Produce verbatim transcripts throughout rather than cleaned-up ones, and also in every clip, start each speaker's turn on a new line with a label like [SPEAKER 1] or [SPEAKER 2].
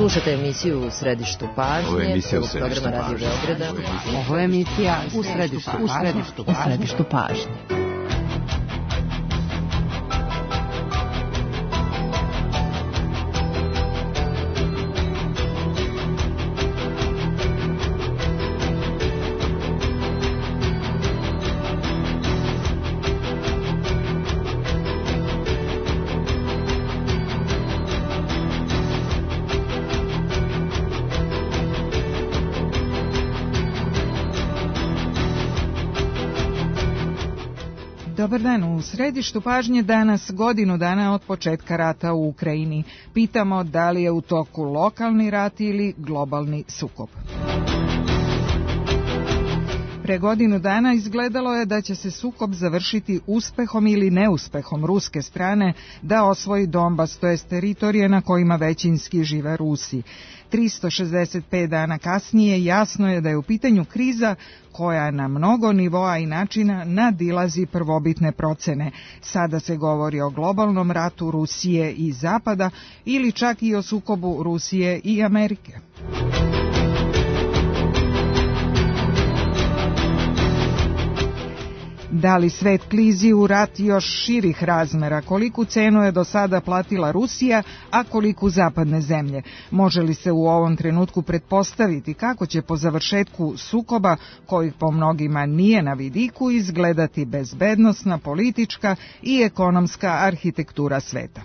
[SPEAKER 1] Slušate emisiju U središtu pažnje.
[SPEAKER 2] Ovo je emisija U središtu pažnje.
[SPEAKER 1] Radio Beograda.
[SPEAKER 3] Ovo je emisija U središtu pažnje. U središtu pažnje.
[SPEAKER 4] Dobar dan, u središtu pažnje danas godinu dana od početka rata u Ukrajini. Pitamo da li je u toku lokalni rat ili globalni sukob. Pre godinu dana izgledalo je da će se sukob završiti uspehom ili neuspehom ruske strane da osvoji Donbas, to jest teritorije na kojima većinski žive Rusi. tristo šezdeset pet dana kasnije jasno je da je u pitanju kriza koja na mnogo nivoa i načina nadilazi prvobitne procene. Sada se govori o globalnom ratu Rusije i Zapada ili čak i o sukobu Rusije i Amerike. Da li svet klizi u rat još širih razmera? Koliku cenu je do sada platila Rusija, a koliku zapadne zemlje? Može li se u ovom trenutku pretpostaviti kako će po završetku sukoba, kojih po mnogima nije na vidiku, izgledati bezbednosna, politička i ekonomska arhitektura sveta?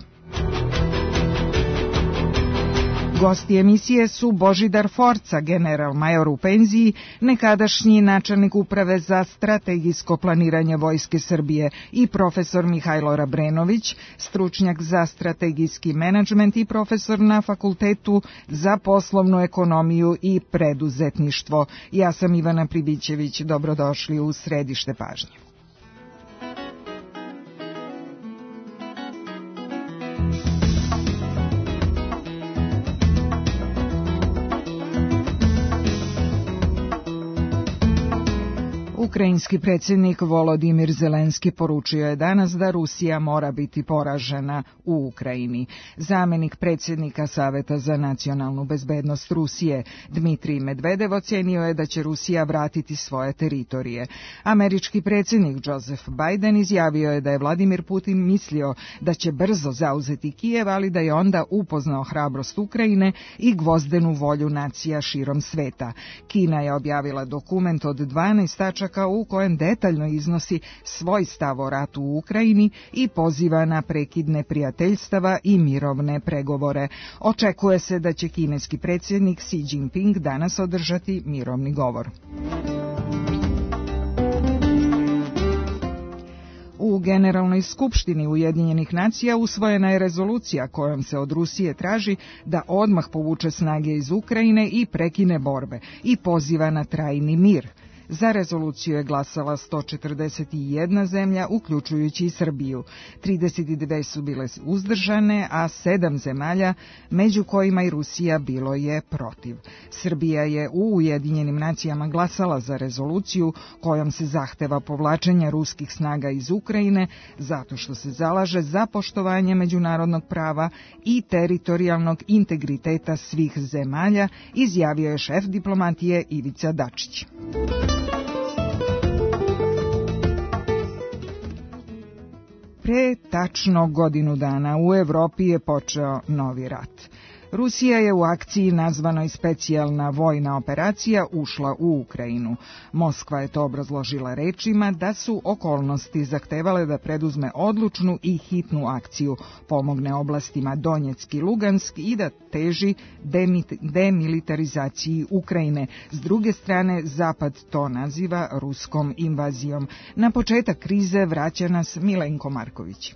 [SPEAKER 4] Gosti emisije su Božidar Forca, general major u penziji, nekadašnji načelnik uprave za strategijsko planiranje Vojske Srbije, i profesor Mihajlo Rabrenović, stručnjak za strategijski menadžment i profesor na Fakultetu za poslovnu ekonomiju i preduzetništvo. Ja sam Ivana Pribićević, dobrodošli u središte pažnje. Ukrajinski predsjednik Volodimir Zelenski poručio je danas da Rusija mora biti poražena u Ukrajini. Zamenik predsjednika Saveta za nacionalnu bezbednost Rusije, Dmitrij Medvedev, ocenio je da će Rusija vratiti svoje teritorije. Američki predsjednik Joseph Biden izjavio je da je Vladimir Putin mislio da će brzo zauzeti Kijev, ali da je onda upoznao hrabrost Ukrajine i gvozdenu volju nacija širom sveta. Kina je objavila dokument od dvanaest tačaka u kojem detaljno iznosi svoj stav o ratu u Ukrajini i poziva na prekid neprijateljstava i mirovne pregovore. Očekuje se da će kineski predsjednik Xi Jinping danas održati mirovni govor. U Generalnoj skupštini Ujedinjenih nacija usvojena je rezolucija kojom se od Rusije traži da odmah povuče snage iz Ukrajine i prekine borbe i poziva na trajni mir. Za rezoluciju je glasala sto četrdeset jedna zemlja, uključujući i Srbiju. trideset dve su bile uzdržane, a sedam zemalja, među kojima i Rusija, bilo je protiv. Srbija je u Ujedinjenim nacijama glasala za rezoluciju kojom se zahteva povlačenje ruskih snaga iz Ukrajine zato što se zalaže za poštovanje međunarodnog prava i teritorijalnog integriteta svih zemalja, izjavio je šef diplomatije Ivica Dačić. Pre tačno godinu dana u Evropi je počeo novi rat. Rusija je u akciji nazvanoj specijalna vojna operacija ušla u Ukrajinu. Moskva je to obrazložila rečima da su okolnosti zahtevale da preduzme odlučnu i hitnu akciju, pomogne oblastima Donjeck i Lugansk i da teži demilitarizaciji Ukrajine. S druge strane, Zapad to naziva ruskom invazijom. Na početak krize vraća nas Milenko Marković.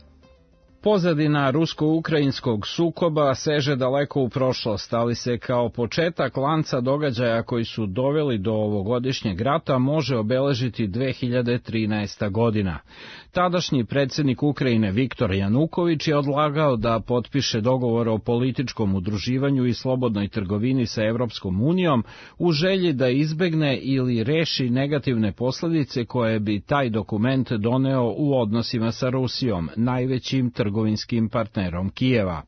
[SPEAKER 5] Pozadina rusko-ukrajinskog sukoba seže daleko u prošlost, ali se kao početak lanca događaja koji su doveli do ovogodišnjeg rata može obeležiti dve hiljade trinaesta. godina. Tadašnji predsjednik Ukrajine Viktor Januković je odlagao da potpiše dogovor o političkom udruživanju i slobodnoj trgovini sa Evropskom unijom u želji da izbegne ili reši negativne posljedice koje bi taj dokument doneo u odnosima sa Rusijom, najvećim trgovinskim partnerom Kijeva.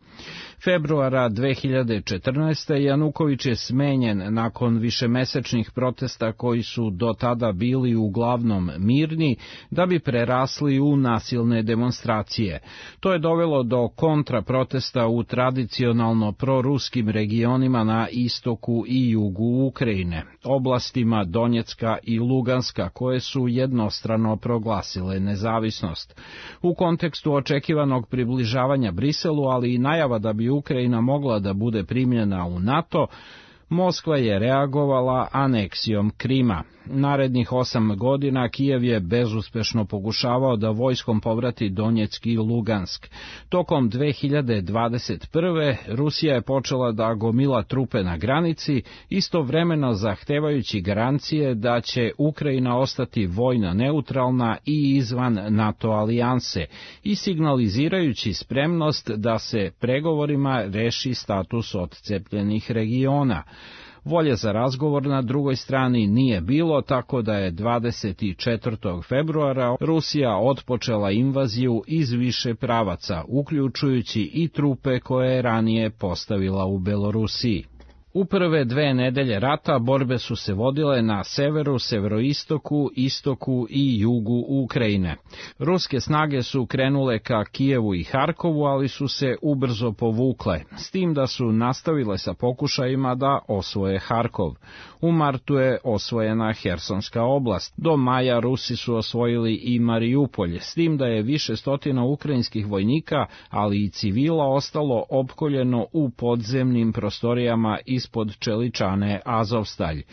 [SPEAKER 5] Februara dve hiljade četrnaeste. Januković je smenjen nakon višemesečnih protesta koji su do tada bili uglavnom mirni, da bi prerasli u nasilne demonstracije. To je dovelo do kontraprotesta u tradicionalno proruskim regionima na istoku i jugu Ukrajine, oblastima Donjecka i Luganska, koje su jednostrano proglasile nezavisnost. U kontekstu očekivanog približavanja Briselu, ali i najava da bi Ukrajina mogla da bude primljena u NATO, Moskva je reagovala aneksijom Krima. Narednih osam godina Kijev je bezuspešno pokušavao da vojskom povrati Donjeck i Lugansk. Tokom dve hiljade dvadeset prve. Rusija je počela da gomila trupe na granici, istovremeno zahtevajući garancije da će Ukrajina ostati vojno neutralna i izvan NATO alijanse i signalizirajući spremnost da se pregovorima reši status odcepljenih regiona. Volje za razgovor na drugoj strani nije bilo, tako da je dvadeset četvrtog februara Rusija otpočela invaziju iz više pravaca, uključujući i trupe koje je ranije postavila u Belorusiji. U prve dve nedelje rata borbe su se vodile na severu, severoistoku, istoku i jugu Ukrajine. Ruske snage su krenule ka Kijevu i Harkovu, ali su se ubrzo povukle, s tim da su nastavile sa pokušajima da osvoje Harkov. U martu je osvojena Hersonska oblast. Do maja Rusi su osvojili i Marijupolj, s tim da je više stotina ukrajinskih vojnika, ali i civila ostalo opkoljeno u podzemnim prostorijama ispod čeličane Azovstalj.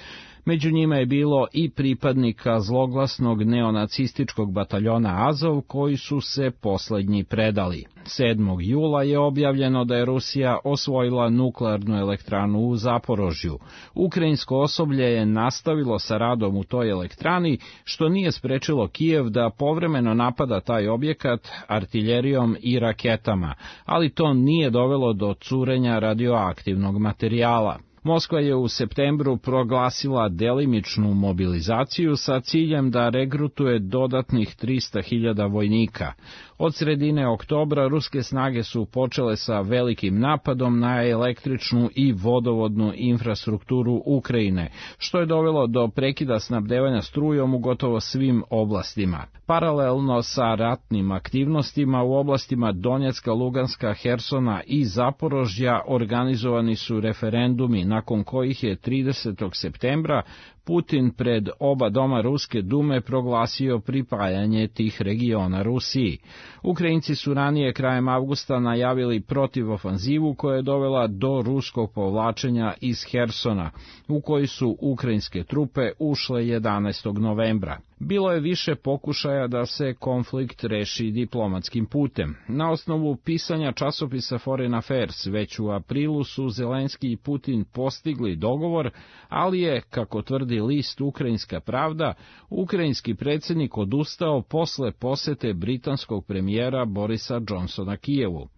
[SPEAKER 5] Među njima je bilo i pripadnika zloglasnog neonacističkog bataljona Azov, koji su se poslednji predali. sedmog jula je objavljeno da je Rusija osvojila nuklearnu elektranu u Zaporožju. Ukrajinsko osoblje je nastavilo sa radom u toj elektrani, što nije sprečilo Kijev da povremeno napada taj objekat artiljerijom i raketama, ali to nije dovelo do curenja radioaktivnog materijala. Moskva je u septembru proglasila delimičnu mobilizaciju sa ciljem da regrutuje dodatnih trista hiljada vojnika. Od sredine oktobra ruske snage su počele sa velikim napadom na električnu i vodovodnu infrastrukturu Ukrajine, što je dovelo do prekida snabdevanja strujom u gotovo svim oblastima. Paralelno sa ratnim aktivnostima u oblastima Donjecka, Luganska, Hersona i Zaporožja organizovani su referendumi, nakon kojih je tridesetog septembra Putin pred oba doma Ruske dume proglasio pripajanje tih regiona Rusiji. Ukrajinci su ranije krajem avgusta najavili protivofanzivu koja je dovela do ruskog povlačenja iz Hersona, u koji su ukrajinske trupe ušle jedanaestog novembra. Bilo je više pokušaja da se konflikt reši diplomatskim putem. Na osnovu pisanja časopisa Foreign Affairs već u aprilu su Zelenski i Putin postigli dogovor, ali je, kako tvrdi list Ukrajinska pravda, ukrajinski predsjednik odustao posle posete britanskog premijera Borisa Johnsona Kijevu.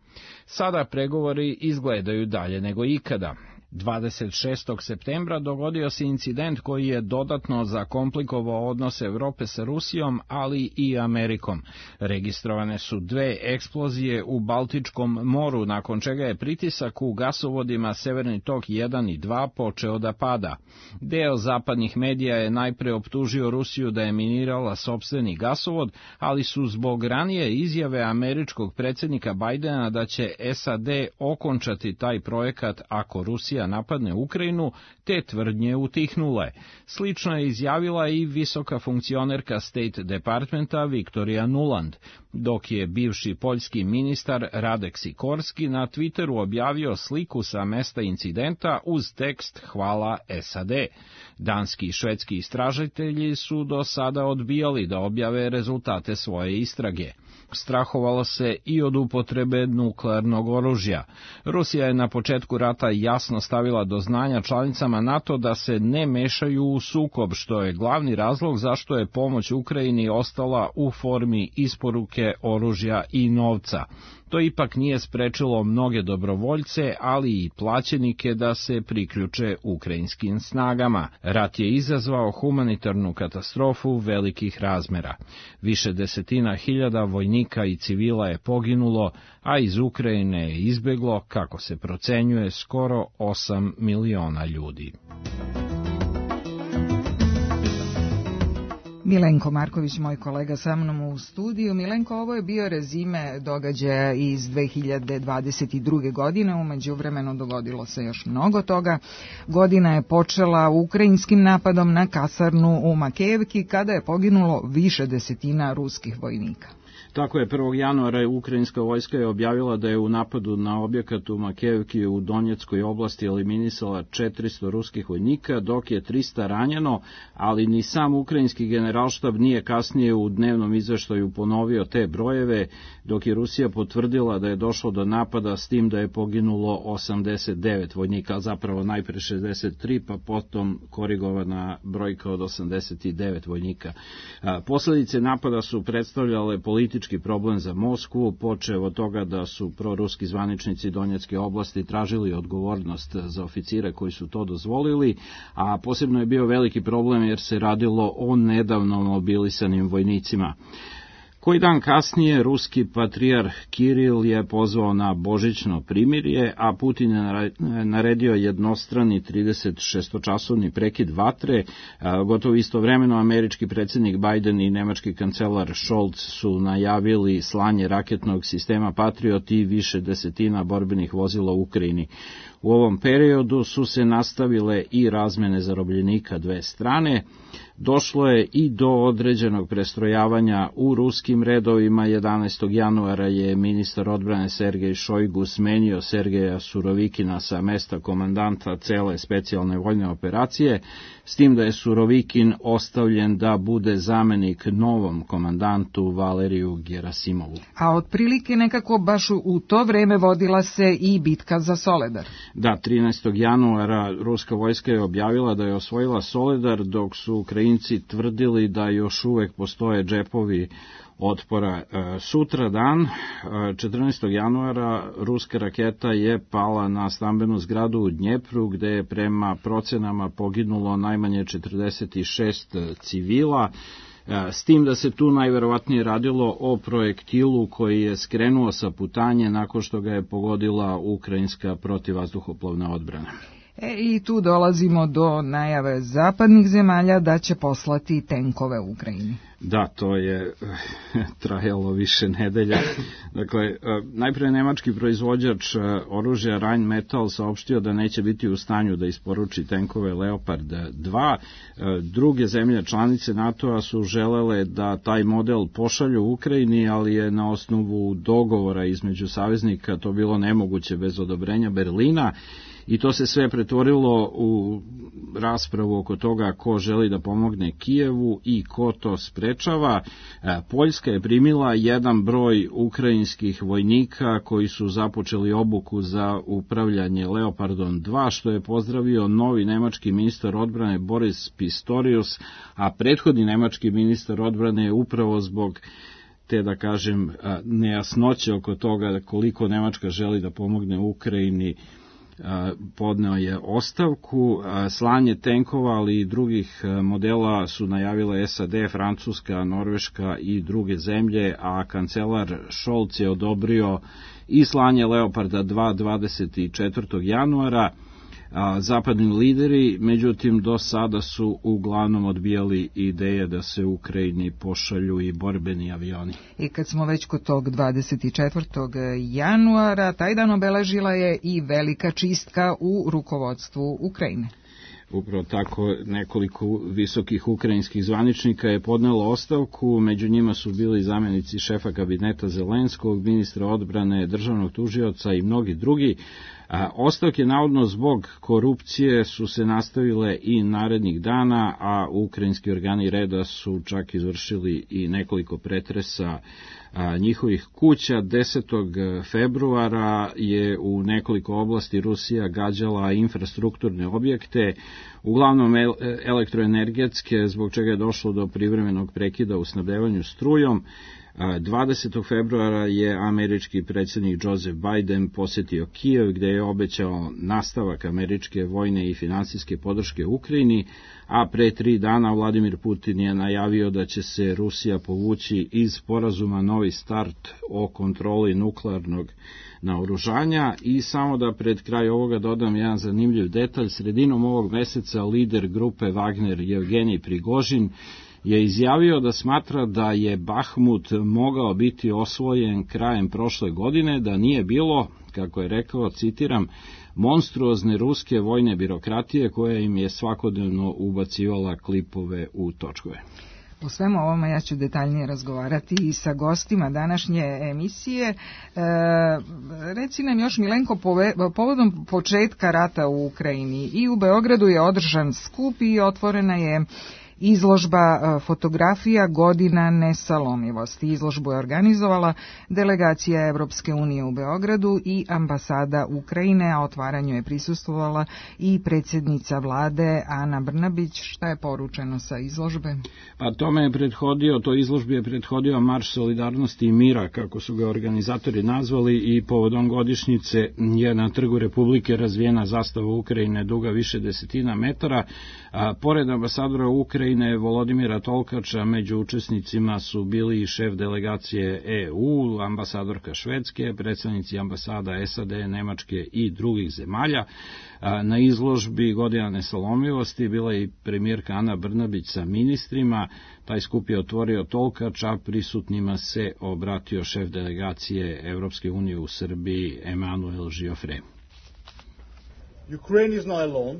[SPEAKER 5] Sada pregovori izgledaju dalje nego ikada. dvadeset šestog septembra dogodio se incident koji je dodatno zakomplikovao odnose Evrope sa Rusijom, ali i Amerikom. Registrovane su dve eksplozije u Baltičkom moru, nakon čega je pritisak u gasovodima Severni tok jedan i dva počeo da pada. Deo zapadnih medija je najpre optužio Rusiju da je minirala sopstveni gasovod, ali su zbog ranije izjave američkog predsjednika Bajdena da će S A D okončati taj projekat ako Rusija napadne Ukrajinu, te tvrdnje utihnule. Slično je izjavila i visoka funkcionerka State Departmenta Viktorija Nuland, dok je bivši poljski ministar Radek Sikorski na Twitteru objavio sliku sa mesta incidenta uz tekst "Hvala S A D". Danski i švedski istražitelji su do sada odbijali da objave rezultate svoje istrage. Strahovalo se i od upotrebe nuklearnog oružja. Rusija je na početku rata jasno stavila stavila do znanja članicama NATO da se ne mešaju u sukob, što je glavni razlog zašto je pomoć Ukrajini ostala u formi isporuke oružja i novca. To ipak nije sprečilo mnoge dobrovoljce, ali i plaćenike da se priključe ukrajinskim snagama. Rat je izazvao humanitarnu katastrofu velikih razmera. Više desetina hiljada vojnika i civila je poginulo, a iz Ukrajine je izbeglo, kako se procenjuje, skoro osam miliona ljudi.
[SPEAKER 4] Milenko Marković, moj kolega sa mnom u studiju. Milenko, ovo je bio rezime događaja iz dve hiljade dvadeset druge. godine, u međuvremenu dogodilo se još mnogo toga. Godina je počela ukrajinskim napadom na kasarnu u Makejevki, kada je poginulo više desetina ruskih vojnika.
[SPEAKER 5] Tako je, prvog januara ukrajinska vojska je objavila da je u napadu na objekat u Makejevki u Donjeckoj oblasti eliminisala četiristo ruskih vojnika, dok je trista ranjeno, ali ni sam ukrajinski generalštab nije kasnije u dnevnom izveštaju ponovio te brojeve, dok je Rusija potvrdila da je došlo do napada s tim da je poginulo osamdeset devet vojnika, zapravo najpre šezdeset tri, pa potom korigovana brojka od osamdeset devet vojnika. Posledice napada su predstavljale politički problem za Moskvu, počev od toga da su proruski zvaničnici Donjecke oblasti tražili odgovornost za oficire koji su to dozvolili, a posebno je bio veliki problem jer se radilo o nedavno mobilisanim vojnicima. Koji dan kasnije ruski patrijarh Kiril je pozvao na božićno primirje, a Putin je naredio jednostrani trideset šestočasovni prekid vatre. Gotovo istovremeno američki predsjednik Biden i nemački kancelar Scholz su najavili slanje raketnog sistema Patriot i više desetina borbenih vozila u Ukrajini. U ovom periodu su se nastavile i razmene zarobljenika dve strane. Došlo je i do određenog prestrojavanja u ruskim redovima. jedanaestog januara je ministar odbrane Sergej Šojgu smenio Sergeja Surovikina sa mesta komandanta cele specijalne vojne operacije, s tim da je Surovikin ostavljen da bude zamenik novom komandantu Valeriju Gerasimovu.
[SPEAKER 4] A otprilike nekako baš u to vreme vodila se i bitka za Soledar.
[SPEAKER 5] Da, trinaestog januara ruska vojska je objavila da je osvojila Soledar, dok su Ukrajinci tvrdili da još uvek postoje džepovi otpora. Sutra dan, četrnaestog januara, ruska raketa je pala na stambenu zgradu u Dnjepru, gde je prema procenama poginulo najmanje četrdeset šest civila, s tim da se tu najverovatnije radilo o projektilu koji je skrenuo sa putanje nakon što ga je pogodila ukrajinska protivvazduhoplovna odbrana.
[SPEAKER 4] E, I tu dolazimo do najave zapadnih zemalja da će poslati tenkove u Ukrajini.
[SPEAKER 5] Da, to je trajalo više nedelja. Dakle, najpre nemački proizvođač oružja Rheinmetall saopštio da neće biti u stanju da isporuči tenkove Leopard dva. Druge zemlje članice NATO-a su želele da taj model pošalju u Ukrajini, ali je na osnovu dogovora između saveznika to bilo nemoguće bez odobrenja Berlina. I to se sve pretvorilo u raspravu oko toga ko želi da pomogne Kijevu i ko to sprečava. Poljska je primila jedan broj ukrajinskih vojnika koji su započeli obuku za upravljanje Leopardom dva, što je pozdravio novi nemački ministar odbrane Boris Pistorius, a prethodni nemački ministar odbrane je upravo zbog te, da kažem, nejasnoće oko toga koliko Nemačka želi da pomogne Ukrajini, podneo je ostavku. Slanje tenkova, ali i drugih modela su najavile S A D, Francuska, Norveška i druge zemlje, a kancelar Scholz je odobrio i slanje Leoparda dva dvadeset četvrtog januara. Zapadni lideri, međutim, do sada su uglavnom odbijali ideje da se u Ukrajini pošalju i borbeni avioni.
[SPEAKER 4] I kad smo već kod tog dvadeset četvrtog januara, taj dan obeležila je i velika čistka u rukovodstvu Ukrajine.
[SPEAKER 5] Upravo tako, nekoliko visokih ukrajinskih zvaničnika je podnelo ostavku, među njima su bili zamjenici šefa kabineta Zelenskog, ministra odbrane, državnog tužioca i mnogi drugi. Ostavke navodno zbog korupcije su se nastavile i narednih dana, a ukrajinski organi reda su čak izvršili i nekoliko pretresa njihovih kuća. desetog februara je u nekoliko oblasti Rusija gađala infrastrukturne objekte, uglavnom elektroenergetske, zbog čega je došlo do privremenog prekida u snabdevanju strujom. dvadesetog februara je američki predsjednik Joseph Biden posjetio Kijev, gde je obećao nastavak američke vojne i finansijske podrške Ukrajini, a pre tri dana Vladimir Putin je najavio da će se Rusija povući iz sporazuma Novi start o kontroli nuklearnog naoružanja. I samo da pred kraj ovoga dodam jedan zanimljiv detalj. Sredinom ovog meseca lider grupe Wagner Jevgenij Prigožin je izjavio da smatra da je Bahmut mogao biti osvojen krajem prošle godine, da nije bilo, kako je rekao, citiram, monstruozne ruske vojne birokratije koja im je svakodnevno ubacivala klipove u točkove.
[SPEAKER 4] O svemu ovome ja ću detaljnije razgovarati i sa gostima današnje emisije. E, reci nam još, Milenko, pove, povodom početka rata u Ukrajini i u Beogradu je održan skup i otvorena je izložba fotografija Godina nesalomivosti. Izložbu je organizovala delegacija Evropske unije u Beogradu i ambasada Ukrajine, a otvaranju je prisustvovala i predsjednica vlade Ana Brnabić. Šta je poručeno sa izložbe?
[SPEAKER 5] Pa tome je prethodio, to izložbi je prethodio Marš solidarnosti i mira, kako su ga organizatori nazvali, i povodom godišnjice je na Trgu Republike razvijena zastava Ukrajine duga više desetina metara. A, pored ambasadora Ukrajine Volodimira Tolkača, među učesnicima su bili i šef delegacije E U, ambasadorka Švedske, predstavnici ambasada S A D, Nemačke i drugih zemalja. Na izložbi Godina nesalomivosti bila je i premijerka Ana Brnabić sa ministrima. Taj skup je otvorio Tolkač, a prisutnima se obratio šef delegacije Evropske unije u Srbiji Emanuel Giofre.
[SPEAKER 2] Ukraine is not alone.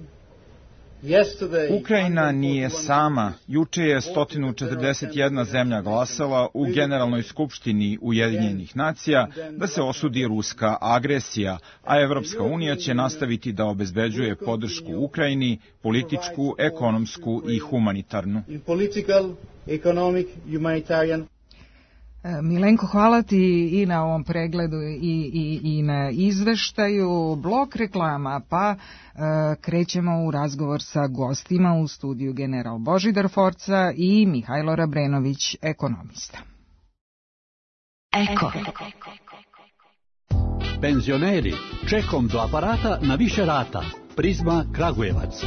[SPEAKER 6] Ukrajina nije sama. Juče je sto četrdeset jedna zemlja glasala u Generalnoj skupštini Ujedinjenih nacija da se osudi ruska agresija, a Evropska unija će nastaviti da obezbeđuje podršku Ukrajini, političku, ekonomsku i humanitarnu.
[SPEAKER 4] Milenko, hvala ti i na ovom pregledu i, i, i na izveštaju. Blok reklama, pa e, krećemo u razgovor sa gostima u studiju general Božidar Forca i Mihajlo Rabrenović, ekonomista.
[SPEAKER 7] Eko. Penzioneri, čekom do aparata na više rata. Prizma Kragujevac.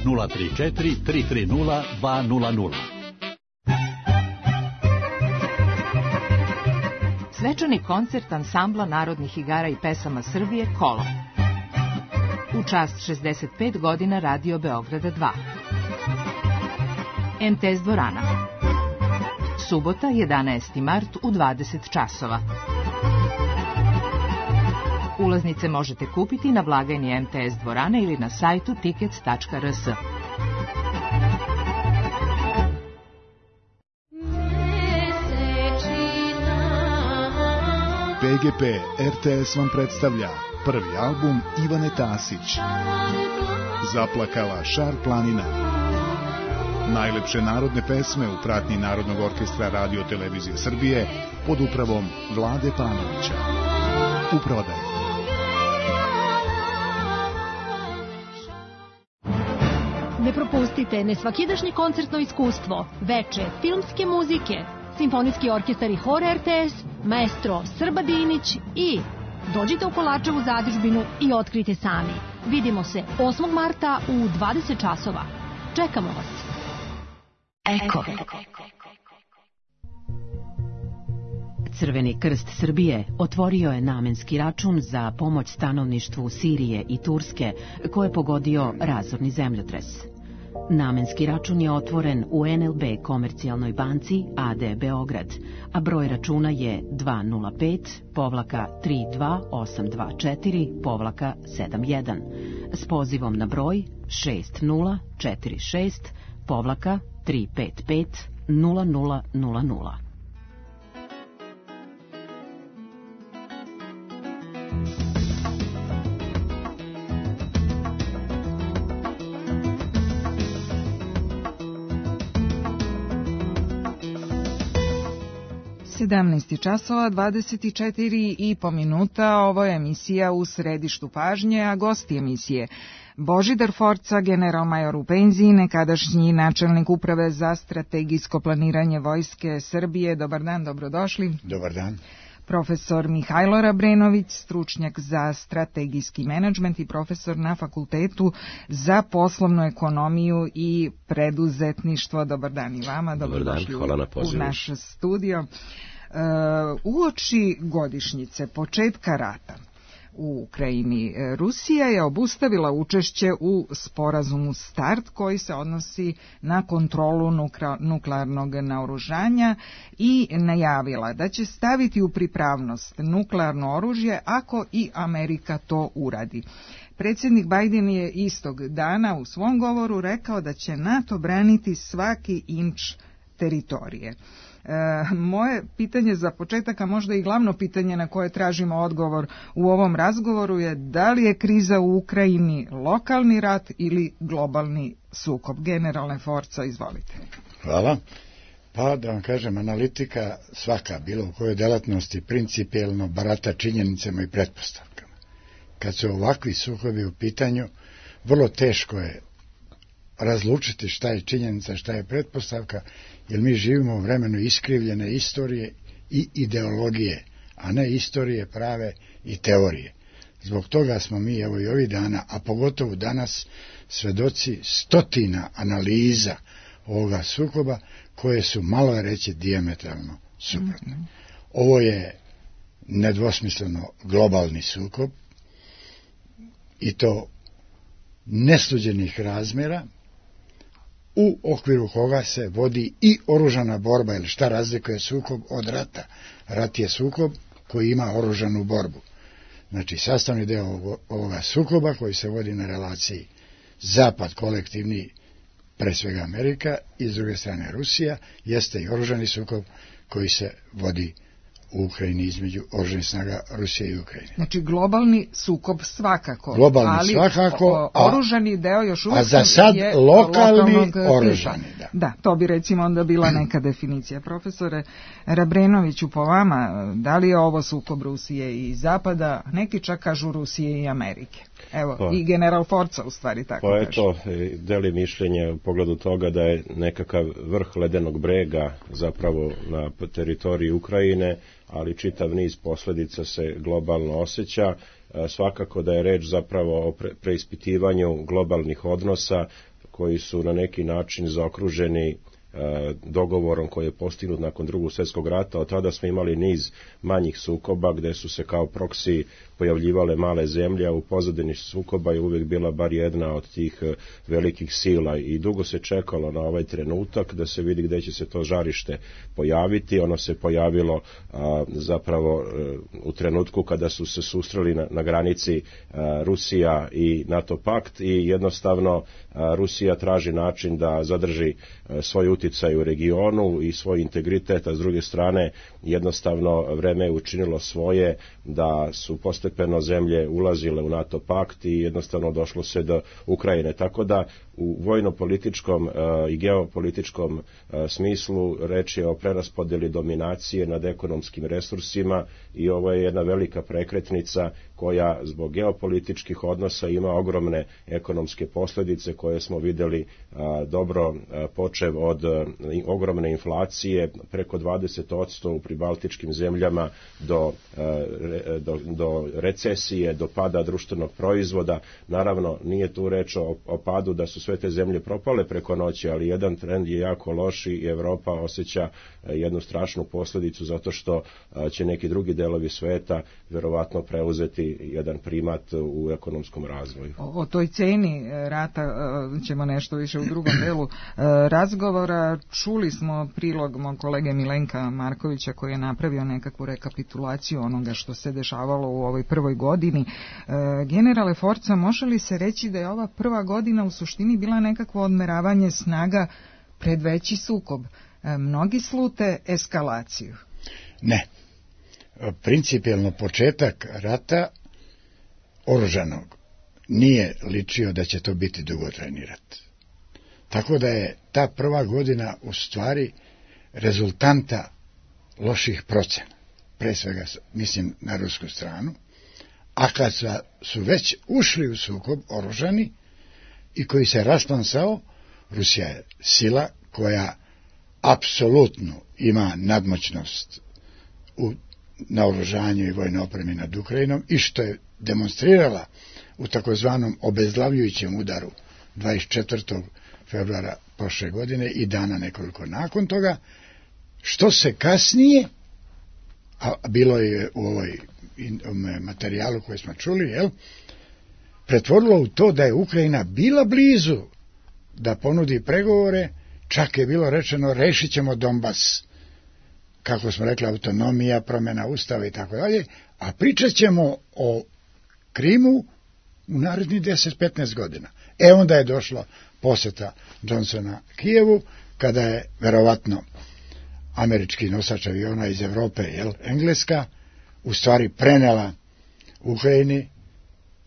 [SPEAKER 7] nula tri četiri tri tri nula dva nula nula.
[SPEAKER 3] Svečani koncert ansambla narodnih igara i pesama Srbije Kolo. U čast šezdeset pet godina Radio Beograda dva. M T S dvorana. Subota, jedanaesti mart u dvadeset časova. Ulaznice možete kupiti na blagajni M T S dvorane ili na sajtu tickets tačka r s.
[SPEAKER 8] P G P R T S vam predstavlja prvi album Ivane Tasić. Zaplakala Šar planina. Najlepše narodne pesme u pratnji Narodnog orkestra Radio Televizije Srbije pod upravom Vlade Panovića. U prodaju.
[SPEAKER 9] Ne propustite nesvakidašnje koncertno iskustvo, veče filmske muzike, Simfonijski orkestar i hor R T S, maestro Srba Dinić i dođite u Kolačevu zadužbinu i otkrite sami. Vidimo se osmog marta u dvadeset časova. Čekamo vas.
[SPEAKER 7] Eko.
[SPEAKER 10] Crveni krst Srbije otvorio je namenski račun za pomoć stanovništvu Sirije i Turske koje je pogodio razorni zemljotres. Namenski račun je otvoren u N L B Komercijalnoj banci A D Beograd, a broj računa je dva nula pet tri dva osam dva četiri sedam jedan s pozivom na broj šest nula četiri šest tri pet pet nula nula nula nula.
[SPEAKER 4] sedamnaest časova dvadeset četiri i po minuta, ovo je emisija U središtu pažnje, a gosti emisije Božidar Forca, generalmajor u penziji, nekadašnji načelnik uprave za strategijsko planiranje Vojske Srbije. Dobar dan, dobrodošli.
[SPEAKER 2] Dobar dan.
[SPEAKER 4] Profesor Mihajlo Rabrenović, stručnjak za strategijski menadžment i profesor na Fakultetu za poslovnu ekonomiju i preduzetništvo. Dobar dan i vama.
[SPEAKER 11] Dobar dan, hvala na pozivu.
[SPEAKER 4] U naš studio. Uh, uoči godišnjice početka rata u Ukrajini, Rusija je obustavila učešće u sporazumu START koji se odnosi na kontrolu nuklearnog naoružanja i najavila da će staviti u pripravnost nuklearno oružje ako i Amerika to uradi. Predsjednik Biden je istog dana u svom govoru rekao da će NATO braniti svaki inč teritorije. E, moje pitanje za početak, a možda i glavno pitanje na koje tražimo odgovor u ovom razgovoru je da li je kriza u Ukrajini lokalni rat ili globalni sukob? Generalne Forca, izvolite.
[SPEAKER 2] Hvala. Pa da vam kažem, analitika svaka, bilo u kojoj delatnosti, principijelno barata činjenicama i pretpostavkama. Kad su ovakvi sukobi u pitanju, vrlo teško je razlučiti šta je činjenica, šta je pretpostavka, jer mi živimo u vremenu iskrivljene istorije i ideologije, a ne istorije prave i teorije. Zbog toga smo mi, evo i ovih dana, a pogotovo danas, svedoci stotina analiza ovoga sukoba, koje su, malo je reći, dijametralno suprotne. Mm-hmm. Ovo je nedvosmisleno globalni sukob, i to nesuđenih razmjera, u okviru koga se vodi i oružana borba, ili šta razlikuje sukob od rata. Rat je sukob koji ima oružanu borbu. Znači, sastavni deo ovoga sukoba koji se vodi na relaciji Zapad kolektivni, pre svega Amerika, i s druge strane Rusija, jeste i oružani sukob koji se vodi u Ukrajini između oružanih snaga Rusije i Ukrajine.
[SPEAKER 4] Znači globalni sukob svakako,
[SPEAKER 2] globalni
[SPEAKER 4] ali
[SPEAKER 2] svakako,
[SPEAKER 4] a, oružani deo još uvijek
[SPEAKER 2] a za sad
[SPEAKER 4] je
[SPEAKER 2] lokalni oružani. Da.
[SPEAKER 4] da, to bi recimo onda bila neka definicija. Profesore Rabrenoviću, po vama, da li je ovo sukob Rusije i Zapada? Neki čak kažu Rusije i Amerike. Evo, pa, i general Forca u stvari tako
[SPEAKER 11] pa
[SPEAKER 4] kaže.
[SPEAKER 11] Eto, deli mišljenje u pogledu toga da je nekakav vrh ledenog brega zapravo na teritoriji Ukrajine, ali čitav niz posljedica se globalno osjeća. Svakako da je reč zapravo o preispitivanju globalnih odnosa koji su na neki način zaokruženi dogovorom koji je postignut nakon Drugog svjetskog rata. Od tada smo imali niz manjih sukoba gdje su se kao proksi pojavljivale male zemlje, a u pozadini sukoba je uvijek bila bar jedna od tih velikih sila i dugo se čekalo na ovaj trenutak da se vidi gdje će se to žarište pojaviti. Ono se pojavilo a, zapravo a, u trenutku kada su se susreli na, na granici a, Rusija i NATO pakt i jednostavno a, Rusija traži način da zadrži a, svoj utjecaj u regionu i svoj integritet, a s druge strane jednostavno vreme je učinilo svoje da su postepeno zemlje ulazile u NATO pakt i jednostavno došlo se do Ukrajine. Tako da u vojno-političkom uh, i geopolitičkom uh, smislu reč je o preraspodjeli dominacije nad ekonomskim resursima i ovo je jedna velika prekretnica koja zbog geopolitičkih odnosa ima ogromne ekonomske posljedice koje smo vidjeli uh, dobro uh, počev od uh, ogromne inflacije preko dvadeset posto u pribaltičkim zemljama do, uh, re, do, do recesije, do pada društvenog proizvoda. Naravno, nije tu reč o, o padu da su sve te zemlje propale preko noći, ali jedan trend je jako loš i Europa osjeća jednu strašnu posljedicu zato što će neki drugi delovi sveta vjerovatno preuzeti jedan primat u ekonomskom razvoju.
[SPEAKER 4] O, o toj ceni rata ćemo nešto više u drugom delu razgovora. Čuli smo prilog mog kolege Milenka Markovića koji je napravio nekakvu rekapitulaciju onoga što se dešavalo u ovoj prvoj godini. Generale Forca, može li se reći da je ova prva godina u suštini bila nekakvo odmeravanje snaga pred veći sukob? Mnogi slute eskalaciju.
[SPEAKER 2] Ne. Principijelno početak rata oružanog nije ličio da će to biti dugotrajni rat. Tako da je ta prva godina u stvari rezultanta loših procena. Pre svega mislim na rusku stranu, a kad su već ušli u sukob oružani i koji se rasplamsao, Rusija je sila koja apsolutno ima nadmoćnost u naoružanju i vojnoj opremi nad Ukrajinom i što je demonstrirala u takozvanom obezglavljujućem udaru dvadeset četvrtog februara prošle godine i dana nekoliko nakon toga, što se kasnije, a bilo je u ovoj materijalu koji smo čuli, jel, pretvorilo u to da je Ukrajina bila blizu da ponudi pregovore, čak je bilo rečeno rešit ćemo Donbas, kako smo rekli, autonomija, promjena ustava i tako dalje, a pričat ćemo o Krimu u narednih deset do petnaest godina. E onda je došla poseta Johnsona Kijevu, kada je verovatno američki nosač aviona iz Evrope, jel, Engleska, u stvari prenela Ukrajini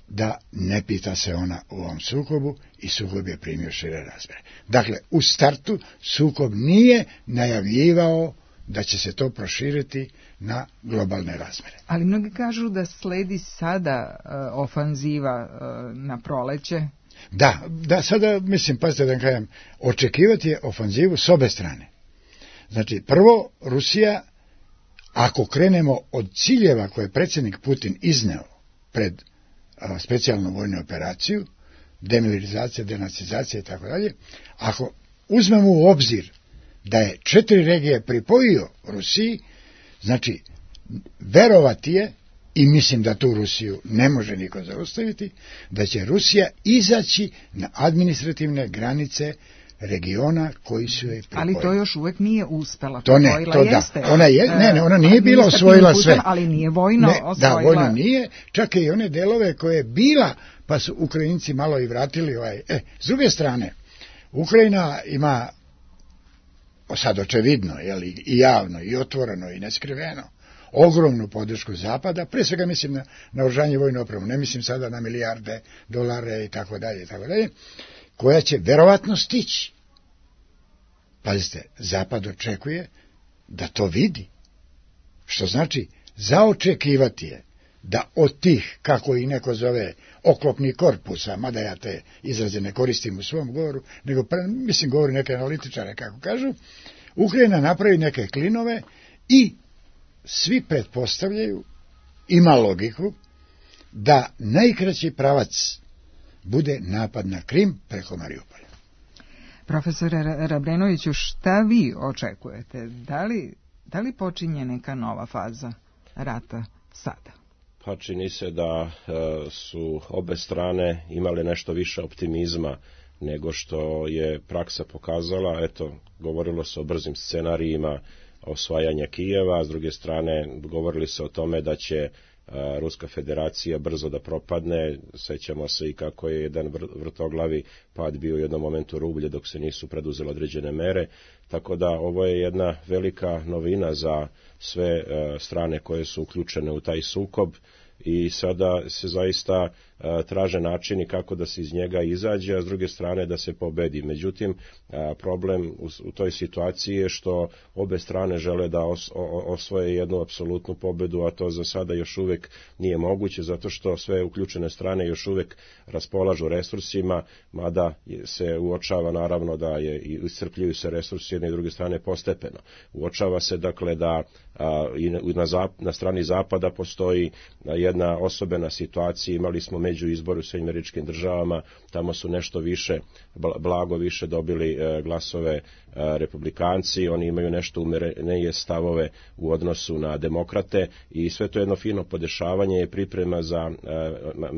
[SPEAKER 2] da ne pita se ona u ovom sukobu i sukob je primio šire razmjere. Dakle, u startu sukob nije najavljivao da će se to proširiti na globalne razmjere.
[SPEAKER 4] Ali mnogi kažu da sledi sada uh, ofanziva uh, na proleće.
[SPEAKER 2] Da, da, sada, mislim, pazite da kažem, očekivati je ofanzivu s obe strane. Znači, prvo, Rusija, ako krenemo od ciljeva koje je predsjednik Putin izneo pred a, specijalnu vojnu operaciju, demilitarizacija, denacizacija i tako dalje, ako uzmemo u obzir da je četiri regije pripojio Rusiji, znači, verovati je, i mislim da tu Rusiju ne može niko zaustaviti, da će Rusija izaći na administrativne granice regiona koji su joj pripojili.
[SPEAKER 4] Ali to još uvijek nije uspela.
[SPEAKER 2] To ne, to da. Ona je, ne, ne, ona nije bila osvojila sve.
[SPEAKER 4] Ali nije vojno
[SPEAKER 2] ne,
[SPEAKER 4] osvojila.
[SPEAKER 2] Da, vojno nije, čak i one delove koje je bila, pa su Ukrajinci malo i vratili. Ovaj. E, s druge strane, Ukrajina ima, sad očevidno, jel, i javno, i otvoreno, i neskriveno, ogromnu podršku Zapada, pre svega mislim na naoružanje vojnu opremu, ne mislim sada na milijarde dolare i tako dalje i tako dalje, koja će verovatno stići. Pazite, Zapad očekuje da to vidi, što znači zaočekivati je da od tih, kako i neko zove, oklopnih korpusa, mada ja te izraze ne koristim u svom govoru, nego mislim govori neke analitičare, kako kažu, Ukrajina napravi neke klinove i svi pretpostavljaju, ima logiku, da najkraći pravac bude napad na Krim preko Mariupolja.
[SPEAKER 4] Profesore Rabrenoviću, šta vi očekujete? Da li, da li počinje neka nova faza rata sada?
[SPEAKER 11] Pa čini se da e, su obe strane imale nešto više optimizma nego što je praksa pokazala. Eto, govorilo se o brzim scenarijima osvajanja Kijeva, s druge strane govorili se o tome da će a, Ruska federacija brzo da propadne. Sećamo se i kako je jedan vr vrtoglavi pad bio u jednom momentu rublje dok se nisu preduzele određene mere, tako da ovo je jedna velika novina za sve a, strane koje su uključene u taj sukob i sada se zaista a, traže načini kako da se iz njega izađe, a s druge strane da se pobedi. Međutim, a, problem u, u toj situaciji je što obe strane žele da os, o, osvoje jednu apsolutnu pobedu, a to za sada još uvek nije moguće, zato što sve uključene strane još uvek raspolažu resursima, mada se uočava naravno da je i iscrpljuju se resursi jedne i druge strane postepeno. Uočava se dakle da a, i na, zap, na strani zapada postoji jedna osobena situacija. Imali smo među izboru u Sjedinjenim Američkim Državama, tamo su nešto više, blago više dobili e, glasove e, republikanci, oni imaju nešto umerenije stavove u odnosu na demokrate i sve to jedno fino podešavanje je priprema za e,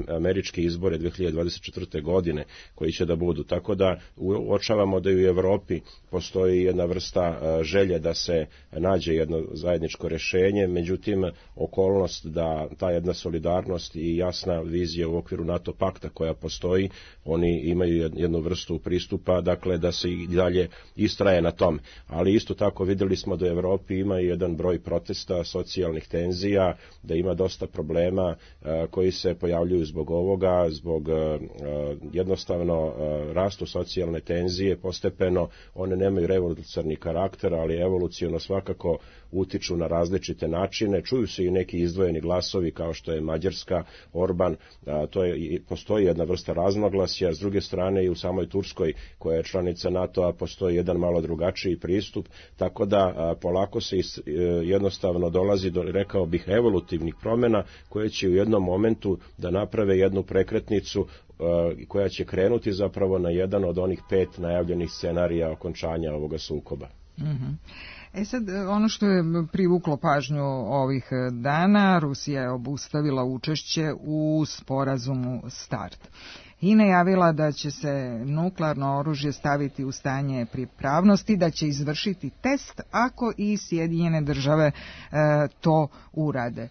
[SPEAKER 11] američke izbore dve hiljade dvadeset četvrte. godine koji će da budu. Tako da uočavamo da i u Evropi postoji jedna vrsta e, želje da se nađe jedno zajedničko rešenje, međutim okolnost da ta jedna solidarnost i jasna vizija u okviru NATO pakta koja postoji, oni imaju jednu vrstu pristupa, dakle da se i dalje istraje na tom. Ali isto tako vidjeli smo da u Evropi ima jedan broj protesta, socijalnih tenzija, da ima dosta problema a, koji se pojavljuju zbog ovoga, zbog a, jednostavno a, rastu socijalne tenzije, postepeno one nemaju revolucionarni karakter, ali evoluciono svakako utiču na različite načine. Čuju se i neki izdvojeni glasovi kao što je Mađarska, Orban, a, to je, postoji jedna vrsta razmaglasja, s druge strane i u samoj Turskoj koja je članica NATO-a postoji jedan malo drugačiji pristup, tako da a, polako se is, e, jednostavno dolazi do, rekao bih, evolutivnih promjena koje će u jednom momentu da naprave jednu prekretnicu koja će krenuti zapravo na jedan od onih pet najavljenih scenarija okončanja ovoga sukoba.
[SPEAKER 4] Mm-hmm. E sad, ono što je privuklo pažnju ovih dana, Rusija je obustavila učešće u sporazumu START i najavila da će se nuklearno oružje staviti u stanje pripravnosti, da će izvršiti test ako i Sjedinjene države e, to urade. E,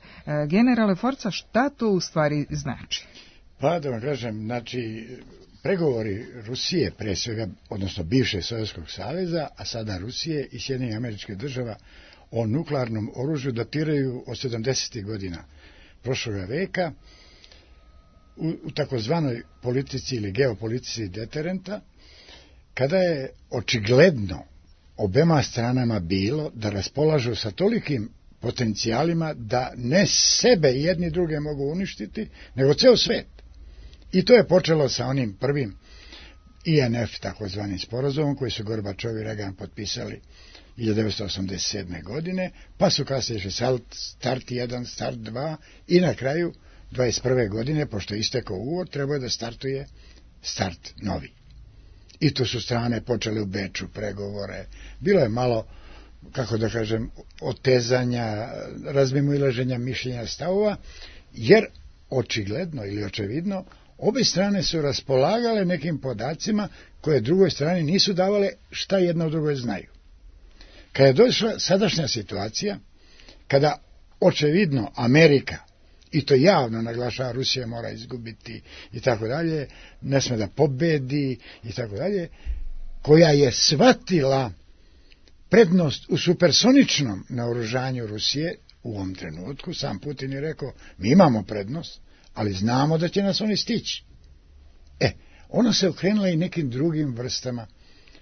[SPEAKER 4] generale Forca, šta to u stvari znači?
[SPEAKER 2] Pa da vam kažem, znači, pregovori Rusije, pre svega, odnosno bivše Sovjetskog saveza, a sada Rusije i Sjedinjenih Američkih Država o nuklearnom oružju datiraju od sedamdesetih godina prošloga veka u, u takozvanoj politici ili geopolitici deterenta, kada je očigledno obema stranama bilo da raspolažu sa tolikim potencijalima da ne sebe jedni druge mogu uništiti, nego ceo svet. I to je počelo sa onim prvim I N F takozvanim sporazumom koji su Gorbačov i Reagan potpisali hiljadu devetsto osamdeset sedme. godine, pa su kasnije išli start jedan, start dva i na kraju dvadeset prve. godine, pošto je istekao ugovor, trebao je da startuje start novi. I tu su strane počele u Beču pregovore. Bilo je malo, kako da kažem, otezanja, razmimoilaženja mišljenja, stavova, jer očigledno ili očevidno obe strane su raspolagale nekim podacima koje drugoj strani nisu davale šta jedna od drugoj znaju. Kada je došla sadašnja situacija, kada očevidno Amerika, i to javno naglašava, Rusija mora izgubiti i tako dalje, ne sme da pobedi i tako dalje, koja je shvatila prednost u supersoničnom naoružanju Rusije u ovom trenutku, sam Putin je rekao, mi imamo prednost, ali znamo da će nas oni stići. E, ona se okrenula i nekim drugim vrstama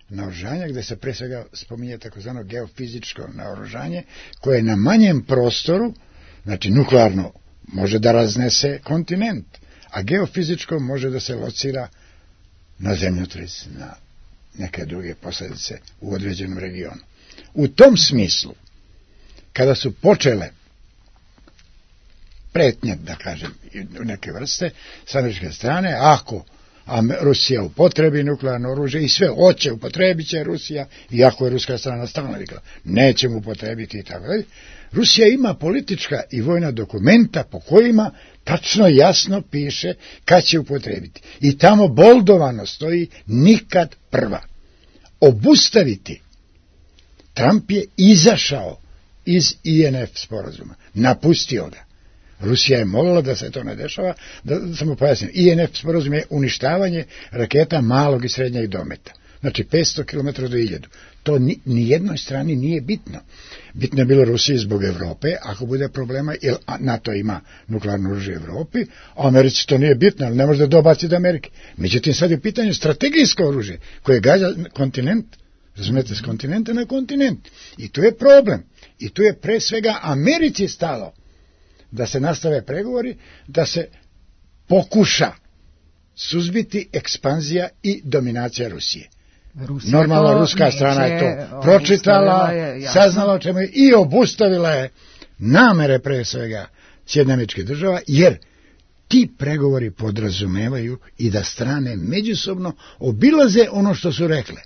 [SPEAKER 2] naoružanja, gde se pre svega spominje takozvano geofizičko naoružanje, koje na manjem prostoru, znači nuklearno, može da raznese kontinent, a geofizičko može da se locira na zemljotres, na neke druge posljedice u određenom regionu. U tom smislu, kada su počele pretnje, da kažem, neke vrste, s američke strane, ako Rusija upotrebi nuklearno oružje i sve hoće, upotrebit će Rusija, iako je ruska strana stalno rekla, nećemo upotrebiti i tako dalje, Rusija ima politička i vojna dokumenta po kojima tačno jasno piše kad će upotrebiti. I tamo boldovano stoji nikad prva. Obustaviti. Trump je izašao iz I N F sporazuma, napustio ga. Rusija je molila da se to ne dešava, da samo pojasnim. I N F sporazum je uništavanje raketa malog i srednjeg dometa. Znači petsto kilometara do hiljadu. To ni, ni jednoj strani nije bitno. Bitno je bilo Rusiji zbog Evrope, ako bude problema, jer NATO ima nuklearno oružje u Evropi, a Americi to nije bitno, ali ne može da dobaci do Amerike. Međutim, sad je pitanje strategijsko oružje, koje gađa kontinent, razumete, s kontinenta na kontinent. I tu je problem. I tu je pre svega Americi stalo da se nastave pregovori, da se pokuša suzbiti ekspanzija i dominacija Rusije. Rusija Normalno, ruska neće, strana je to pročitala, je, saznala o čemu je i obustavila je namere pre svega Sjedinjenih Američkih Država, jer ti pregovori podrazumevaju i da strane međusobno obilaze ono što su rekle.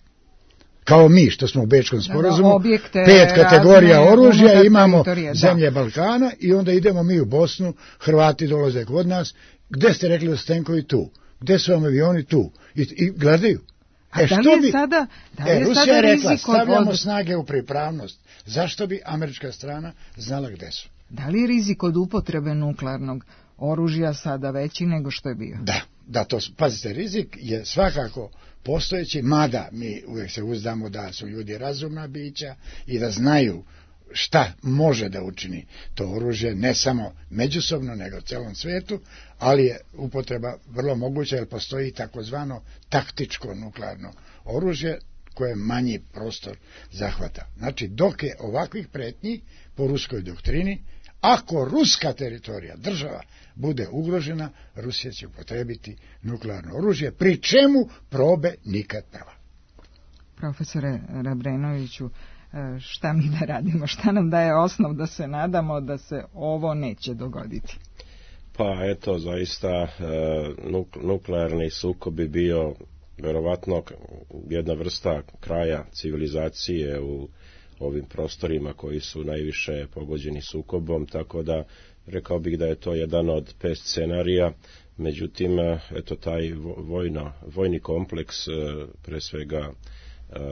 [SPEAKER 2] Kao mi, što smo u Bečkom sporazumu, objekte, pet kategorija oružja, imamo zemlje Balkana i onda idemo mi u Bosnu, Hrvati dolaze kod nas, gde ste rekli da su tenkovi tu, gde su vam avioni tu, i, i gledaju.
[SPEAKER 4] A e, da li je bi, sada, da li je
[SPEAKER 2] e, Rusija
[SPEAKER 4] sada
[SPEAKER 2] je rekla,
[SPEAKER 4] rizik
[SPEAKER 2] stavljamo
[SPEAKER 4] od...
[SPEAKER 2] snage u pripravnost. Zašto bi američka strana znala gde su?
[SPEAKER 4] Da li je rizik od upotrebe nuklearnog oružja sada veći nego što je bio?
[SPEAKER 2] Da, da to, pazite, rizik je svakako postojeći, mada mi uvijek se uzdamo da su ljudi razumna bića i da znaju šta može da učini to oružje, ne samo međusobno, nego u celom svetu, ali je upotreba vrlo moguća, jer postoji takozvano taktičko nuklearno oružje, koje manji prostor zahvata. Znači, dok je ovakvih pretnji po ruskoj doktrini, ako ruska teritorija, država, bude ugrožena, Rusija će upotrebiti nuklearno oružje, pri čemu probe nikad prva.
[SPEAKER 4] Profesore Rebrenoviću, šta mi da radimo? Šta nam daje osnov da se nadamo da se ovo neće dogoditi?
[SPEAKER 11] Pa eto, zaista nuklearni sukob bi bio verovatno jedna vrsta kraja civilizacije u ovim prostorima koji su najviše pogođeni sukobom, tako da rekao bih da je to jedan od pet scenarija. Međutim, eto, taj vojno, vojni kompleks, pre svega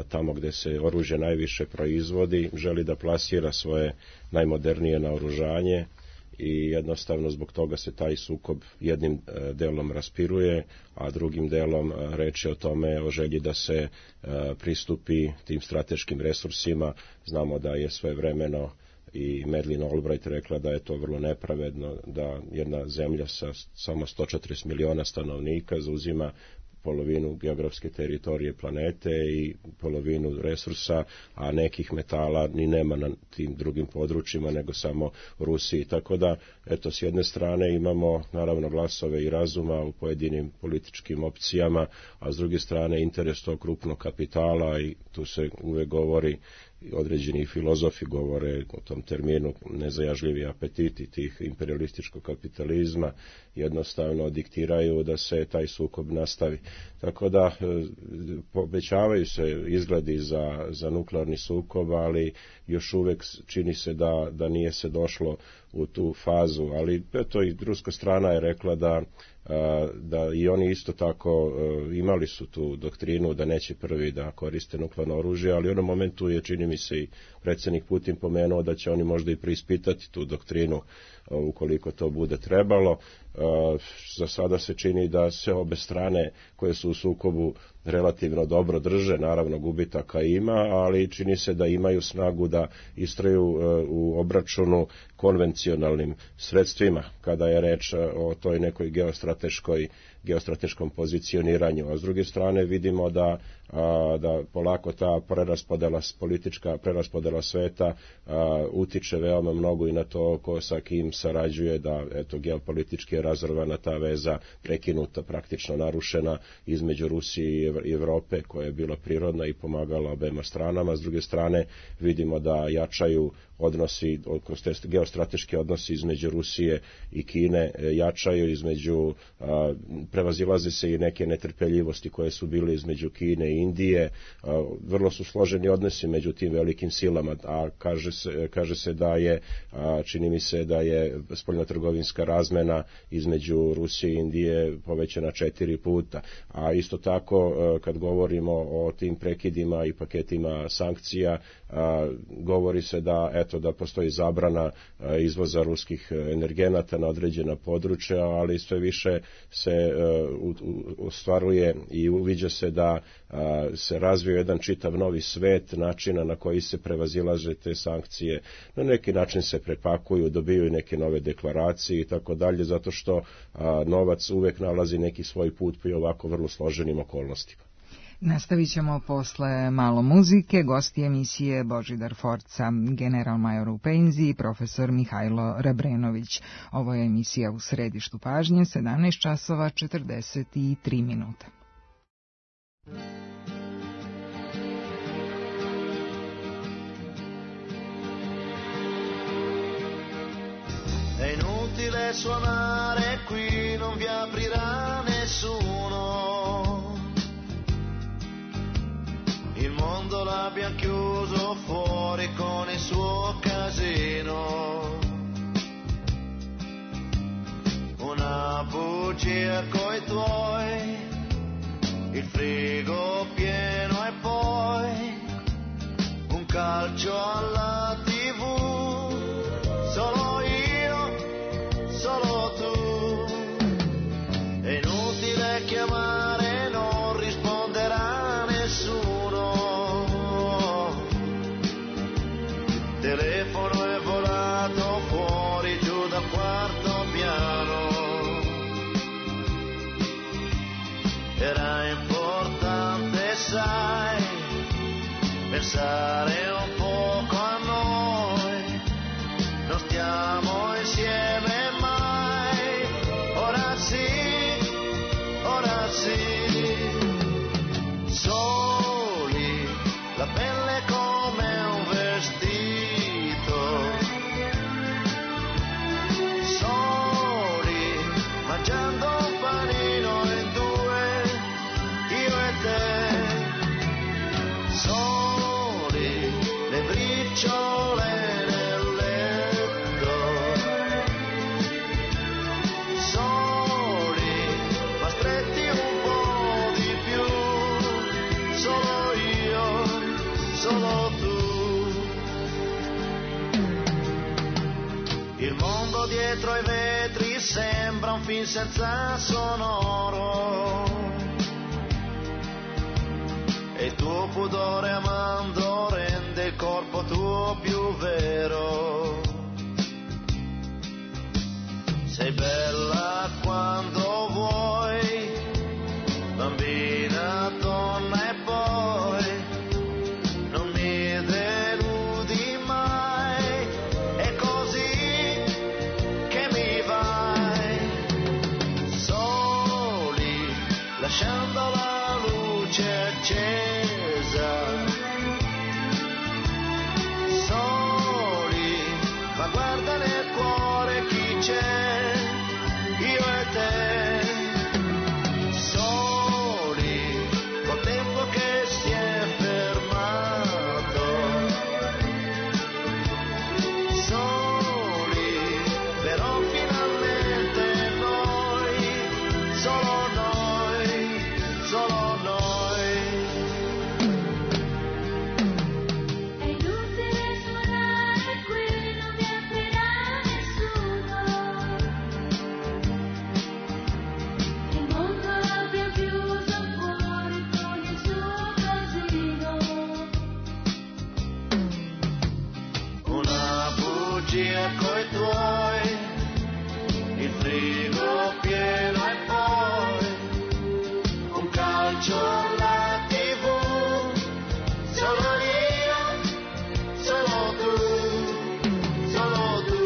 [SPEAKER 11] tamo gde se oružje najviše proizvodi, želi da plasira svoje najmodernije naoružanje i jednostavno zbog toga se taj sukob jednim delom raspiruje, a drugim delom reč je o tome, o želji da se pristupi tim strateškim resursima. Znamo da je svojevremeno i Madeleine Albright rekla da je to vrlo nepravedno, da jedna zemlja sa samo sto četrdeset miliona stanovnika zauzima polovinu geografske teritorije planete i polovinu resursa, a nekih metala ni nema na tim drugim područjima, nego samo u Rusiji. Tako da, eto, s jedne strane imamo naravno glasove i razuma u pojedinim političkim opcijama, a s druge strane interes tog krupnog kapitala, i tu se uvek govori, određeni filozofi govore o tom terminu, nezajažljivi apetiti tih imperialističkog kapitalizma jednostavno diktiraju da se taj sukob nastavi. Tako da obećavaju se izgledi za, za nuklearni sukob, ali još uvek čini se da, da nije se došlo u tu fazu, ali eto i ruska strana je rekla da da i oni isto tako imali su tu doktrinu da neće prvi da koriste nuklearno oružje, ali u onom momentu je, čini mi se, i predsjednik Putin pomenuo da će oni možda i preispitati tu doktrinu ukoliko to bude trebalo. Za sada se čini da se obe strane koje su u sukobu relativno dobro drže, naravno gubitaka ima, ali čini se da imaju snagu da istraju u obračunu konvencionalnim sredstvima kada je reč o toj nekoj geostrateškoj geostrateškom pozicioniranju. A s druge strane vidimo da, a, da polako ta preraspodela, politička preraspodela sveta a, utiče veoma mnogo i na to ko sa kim sarađuje, da eto geopolitički je razorvana ta veza, prekinuta, praktično narušena između Rusije i Evrope, koja je bila prirodna i pomagala obema stranama. S druge strane vidimo da jačaju odnosi, geostrateški odnosi između Rusije i Kine jačaju, između a, prevazilaze se i neke netrpeljivosti koje su bile između Kine i Indije. A, vrlo su složeni odnosi među tim velikim silama, a kaže se, kaže se da je, a, čini mi se da je spoljnotrgovinska razmena između Rusije i Indije povećana četiri puta. A isto tako a, kad govorimo o tim prekidima i paketima sankcija, a, govori se da eto da postoji zabrana a, izvoza ruskih energenata na određena područja, ali sve više se ostvaruje i uviđa se da a, se razvio jedan čitav novi svet načina na koji se prevazilaže te sankcije. Na neki način se prepakuju, dobijaju neke nove deklaracije i tako dalje, zato što a, novac uvek nalazi neki svoj put pri ovako vrlo složenim okolnostima.
[SPEAKER 4] Nastavit ćemo posle malo muzike. Gosti emisije Božidar Forca, general major u penziji, profesor Mihajlo Rebrenović. Ovo je emisija U središtu pažnje, sedamnaest časova četrdeset tri minuta.
[SPEAKER 12] È inutile suonare qui, non vi aprirà nessuno. Il mondo l'abbiamo chiuso fuori con il suo casino. Una bugia coi tuoi, il frigo pieno e poi un calcio alla tivù. Solo io, solo tu. È inutile chiamare, non risponderà nessuno. Telefono è volato fuori giù dal quarto piano. Era importante, sai, pensare un poco a noi, non stiamo insieme mai, ora sì, ora sì, soli, la pelle come un vestito, soli, mangiando un panino in due, io e te, soli, le briciole nel letto, soli, ma stretti un po' di più, solo io, solo tu. Il mondo dietro ai vetri sembra un film senza sonoro, e il tuo pudore amando rende il corpo tuo più vero. Sei bella quando vuoi, bambina, donna, e poi non mi deludi mai, è così che mi vai, soli, lasciando la luce accesa, soli, ma guarda nel cuore chi c'è, io e te, soli, col tempo che si è fermato, soli, però finalmente noi, solo noi, solo noi.
[SPEAKER 13] È inutile suonare qui, non mi aprirà nessuno, il mondo l'abbiamo chiuso fuori con il suo casino,
[SPEAKER 12] Una bugia coi tuoi, il frigo pieno e poi un calcio alla tivù, solo io, solo tu, solo tu.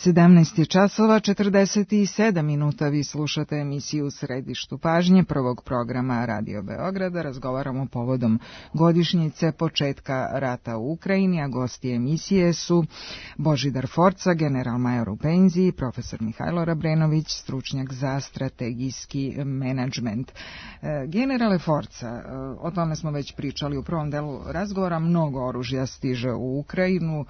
[SPEAKER 4] sedamnaest je časova četrdeset sedam minuta, vi slušate emisiju U središtu pažnje prvog programa Radio Beograda. Razgovaramo povodom godišnjice početka rata u Ukrajini, a gosti emisije su Božidar Forca, general-major u penziji, profesor Mihajlo Rabrenović, stručnjak za strategijski menadžment. Generale Forca, o tome smo već pričali u prvom delu razgovora, mnogo oružja stiže u Ukrajinu,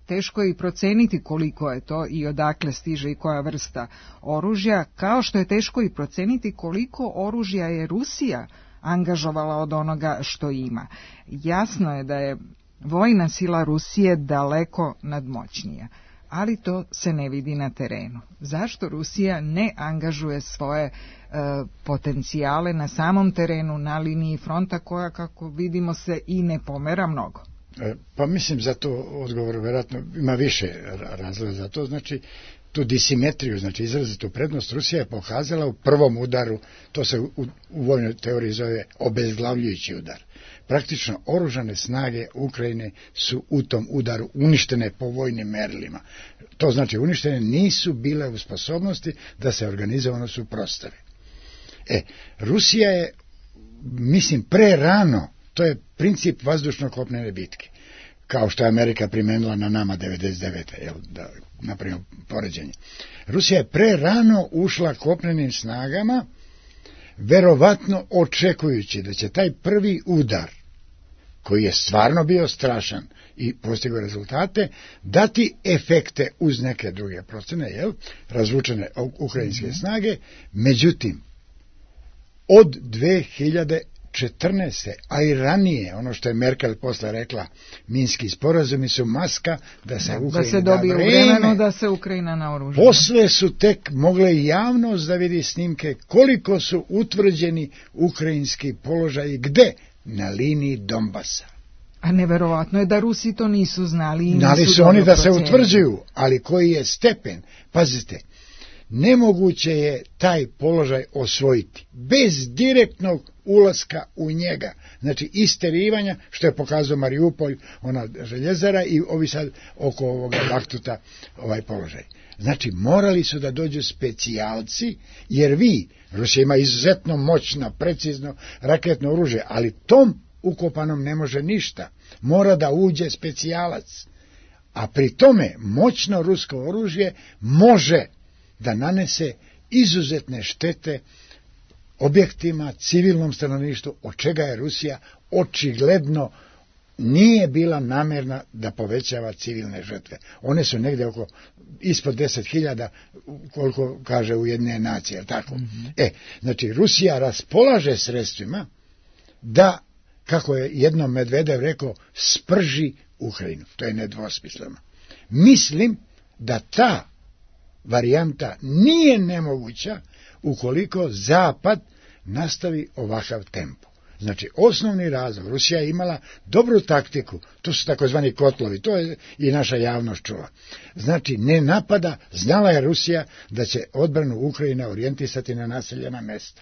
[SPEAKER 4] teško je i proceniti koliko je to i odakle stiže i koja vrsta oružja, kao što je teško i proceniti koliko oružja je Rusija angažovala od onoga što ima. Jasno je da je vojna sila Rusije daleko nadmoćnija, ali to se ne vidi na terenu. Zašto Rusija ne angažuje svoje e, potencijale na samom terenu, na liniji fronta, koja, kako vidimo, se i ne pomera mnogo?
[SPEAKER 2] Pa mislim za to odgovor vjerojatno ima više razloga za to, znači tu disimetriju, znači izrazitu prednost Rusija je pokazala u prvom udaru, to se u, u vojnoj teoriji zove obezglavljujući udar. Praktično oružane snage Ukrajine su u tom udaru uništene po vojnim merilima. To znači uništene nisu bile u sposobnosti da se organizovano suprotstave. E, Rusija je, mislim, pre rano, to je princip vazdušno-kopnene bitke, kao što je Amerika primenila na nama devedeset devete. Jel, da napravimo poređenje. Rusija je pre rano ušla kopnenim snagama, verovatno očekujući da će taj prvi udar, koji je stvarno bio strašan i postigao rezultate, dati efekte uz neke druge procene, jel, razvučene ukrajinske mm-hmm. snage. Međutim, od dve hiljade četrnaeste. a i ranije, ono što je Merkel posle rekla, minski sporazumi su maska da se Ukrajina
[SPEAKER 4] da se dobije
[SPEAKER 2] da
[SPEAKER 4] vremenu da se Ukrajina naoruža.
[SPEAKER 2] Posle su tek mogle javnost da vidi snimke koliko su utvrđeni ukrajinski položaji, gde? Na liniji Donbasa.
[SPEAKER 4] A neverovatno je da Rusi to nisu znali i nisu
[SPEAKER 2] Znali su
[SPEAKER 4] dobro
[SPEAKER 2] oni da se
[SPEAKER 4] procenili.
[SPEAKER 2] utvrđuju, ali koji je stepen, pazite, nemoguće je taj položaj osvojiti bez direktnog ulaska u njega, znači isterivanja, što je pokazao Mariupolj, ona željezara i ovi sad oko ovoga Bahtuta ovaj položaj. Znači morali su da dođu specijalci, jer vi, Rusija ima izuzetno moćno, precizno raketno oružje, ali tom ukopanom ne može ništa, mora da uđe specijalac, a pri tome moćno rusko oružje može da nanese izuzetne štete objektima, civilnom stanovništvu, od čega je Rusija očigledno nije bila namerna da povećava civilne žrtve. One su negde oko ispod deset hiljada, koliko kaže Ujedinjene nacije, je li tako? Mm-hmm. E, znači Rusija raspolaže sredstvima da, kako je jednom Medvedev rekao, sprži Ukrajinu. To je nedvosmisleno. Mislim da ta varijanta nije nemoguća ukoliko Zapad nastavi ovakav tempo. Znači, osnovni razlog, Rusija je imala dobru taktiku, to su takozvani kotlovi, to je i naša javnost čula. Znači, ne napada, znala je Rusija da će odbranu Ukrajine orijentisati na naseljena mesta.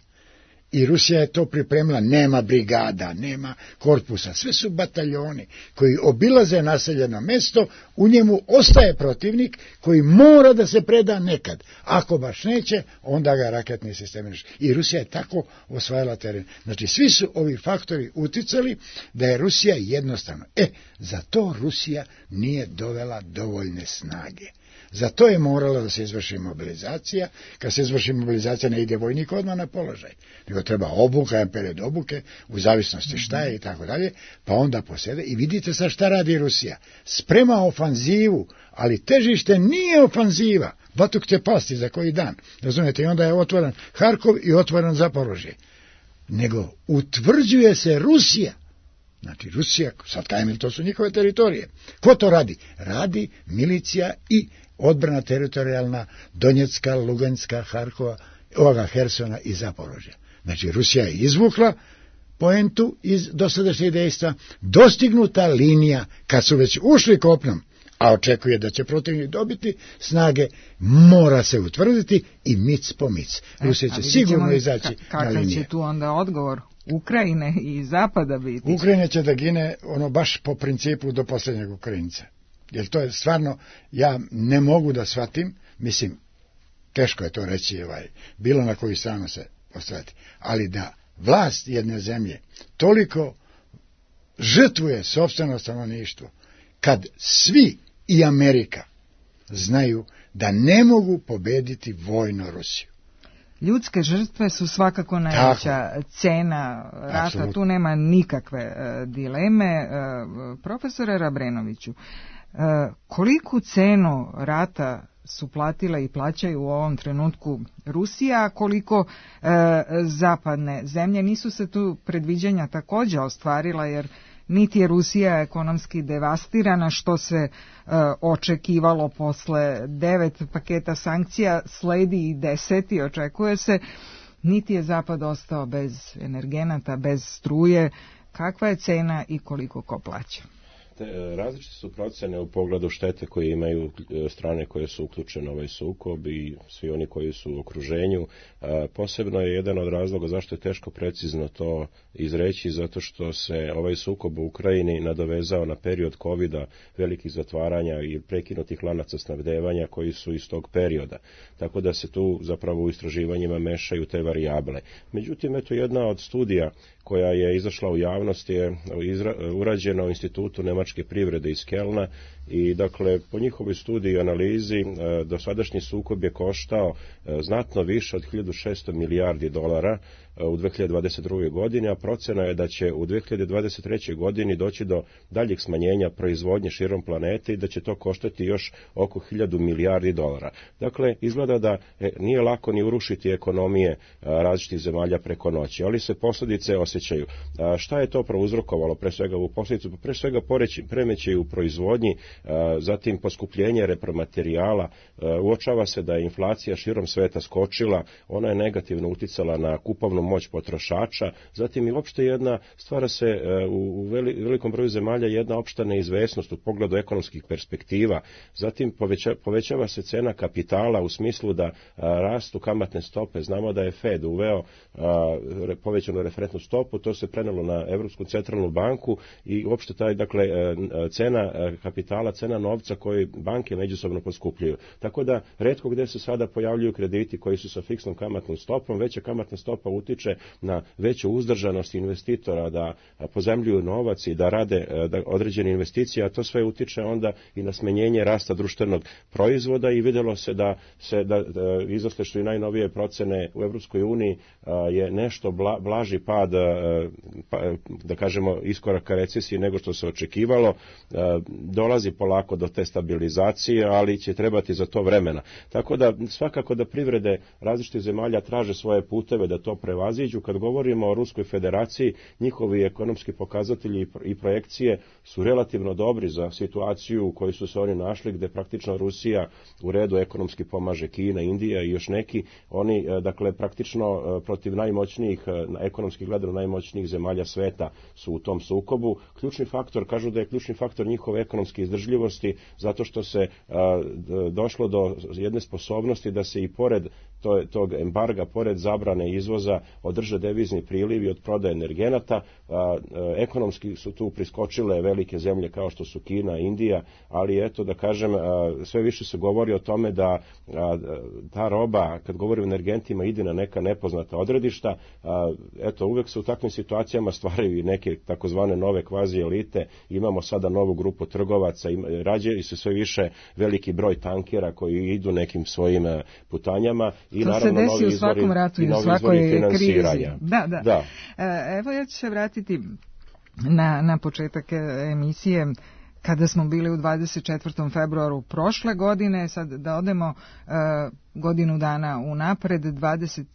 [SPEAKER 2] I Rusija je to pripremila, nema brigada, nema korpusa, sve su bataljoni koji obilaze naseljeno mesto, u njemu ostaje protivnik koji mora da se preda nekad. Ako baš neće, onda ga raketni sistemi neće. I Rusija je tako osvajala teren. Znači, svi su ovi faktori uticali da je Rusija jednostavno. E, za to Rusija nije dovela dovoljne snage. Za to je morala da se izvrši mobilizacija. Kad se izvrši mobilizacija ne ide vojnik odmah na položaj, nego treba obuka, period obuke, u zavisnosti šta je i tako dalje, pa onda posede. I vidite sad šta radi Rusija. Sprema ofanzivu, ali težište nije ofanziva. Batuk će pasti za koji dan. Razumijete, i onda je otvoren Harkov i otvoren Zaporožje. Nego utvrđuje se Rusija. Znači Rusija, sad kajem, to su njihove teritorije. Ko to radi? Radi milicija i odbrana teritorijalna Donjecka, Luganska, Harkova, ovoga Hersona i Zaporožja. Znači Rusija je izvukla poentu iz dosadašnjeg dejstva, dostignuta linija, kad su već ušli kopnom, a očekuje da će protivnik dobiti snage, mora se utvrditi i mic po mic. Rusija će sigurno izaći
[SPEAKER 4] ka,
[SPEAKER 2] na linije.
[SPEAKER 4] Kakav će tu onda odgovor Ukrajine i Zapada biti?
[SPEAKER 2] Ukrajina će da gine ono baš po principu do posljednjeg Ukrajinca. Jer to je stvarno, ja ne mogu da shvatim, mislim, teško je to reći, ovaj, bilo na koju stranu se postaviti, ali da vlast jedne zemlje toliko žrtvuje sopstveno stanovništvo, kad svi i Amerika znaju da ne mogu pobediti vojno Rusiju.
[SPEAKER 4] Ljudske žrtve su svakako najveća
[SPEAKER 2] Tako.
[SPEAKER 4] cena rata,
[SPEAKER 2] Absolutno.
[SPEAKER 4] tu nema nikakve uh, dileme. Uh, profesore Rabrenoviću, uh, koliku cenu rata su platile i plaćaju u ovom trenutku Rusija, a koliko uh, zapadne zemlje? Nisu se tu predviđanja također ostvarila, jer niti je Rusija ekonomski devastirana, što se e, očekivalo posle devet paketa sankcija, sledi i deseti, očekuje se, niti je Zapad ostao bez energenata, bez struje. Kakva je cena i koliko ko plaća?
[SPEAKER 11] Različite su procene u pogledu štete koje imaju strane koje su uključene u ovaj sukob i svi oni koji su u okruženju. Posebno je jedan od razloga zašto je teško precizno to izreći, zato što se ovaj sukob u Ukrajini nadovezao na period kovida, velikih zatvaranja i prekinutih lanaca snabdevanja koji su iz tog perioda. Tako da se tu zapravo u istraživanjima mešaju te varijable. Međutim, eto jedna od studija koja je izašla u javnost je urađena u Institutu nemačke privrede iz Kelna i dakle po njihovoj studiji i analizi dosadašnji sukob je koštao znatno više od hiljadu šesto milijardi dolara u dve hiljade dvadeset druge. godini, a procena je da će u dve hiljade dvadeset trećoj. godini doći do daljeg smanjenja proizvodnje širom planete i da će to koštati još oko hiljadu milijardi dolara. Dakle, izgleda da nije lako ni urušiti ekonomije različitih zemalja preko noći, ali se posljedice osjećaju. Šta je to prouzrokovalo? Pre svega u posljedicu, pre svega poremećaj u proizvodnji zatim poskupljenje repromaterijala, uočava se da je inflacija širom sveta skočila, ona je negativno uticala na kupovnu moć potrošača, zatim i uopšte jedna stvara se u velikom broju zemalja jedna opšta neizvesnost u pogledu ekonomskih perspektiva, zatim poveća, povećava se cena kapitala u smislu da a, rastu kamatne stope. Znamo da je Fed uveo a, povećanu referentnu stopu, to se prenelo na Evropsku centralnu banku i uopšte taj, dakle, cena kapitala, cena novca koji banke međusobno poskupljuju. Tako da retko gde se sada pojavljuju krediti koji su sa fiksnom kamatnom stopom, veća kamatna stopa utiče na veću uzdržanost investitora da pozemljuju novac i da rade da određene investicije, a to sve utiče onda i na smanjenje rasta društvenog proizvoda i videlo se da se da, da izosle što i najnovije procene u Evropskoj uniji je nešto bla, blaži pad pa, da kažemo iskoraka recesije nego što se očekivalo. Dolazi polako do te stabilizacije, ali će trebati za to vremena. Tako da svakako da privrede različitih zemalja traže svoje puteve da to prevaziđu. Kad govorimo o Ruskoj federaciji, njihovi ekonomski pokazatelji i projekcije su relativno dobri za situaciju u kojoj su se oni našli, gde praktično Rusija u redu ekonomski pomaže Kina, Indija i još neki. Oni, dakle, praktično protiv najmoćnijih, ekonomski gledano najmoćnijih zemalja sveta su u tom sukobu. Ključni faktor, kažu da je ključni faktor njihove ekonomske izdržljivosti, zato što se a, došlo do jedne sposobnosti da se i pored to, tog embarga, pored zabrane izvoza, održe devizni prilivi od prodaje energenata. A, a, ekonomski su tu priskočile velike zemlje kao što su Kina, Indija, ali eto da kažem, a, sve više se govori o tome da a, ta roba, kad govori o energentima, ide na neka nepoznata odredišta. A, eto, uvek se u takvim situacijama stvaraju i neke takozvane nove kvazi elite. Imamo sada novu grupu trgovaca, rađaju se sve više veliki broj tankera koji idu nekim svojim putanjama i
[SPEAKER 4] to
[SPEAKER 11] naravno
[SPEAKER 4] se desi
[SPEAKER 11] novi
[SPEAKER 4] u svakom
[SPEAKER 11] izvori,
[SPEAKER 4] ratu i u svakoj krizi. Da, da. da. Evo ja ću se vratiti na, na početak emisije kada smo bili u dvadeset četvrtom februaru prošle godine, sad da odemo uh, godinu dana unapred, dvadeset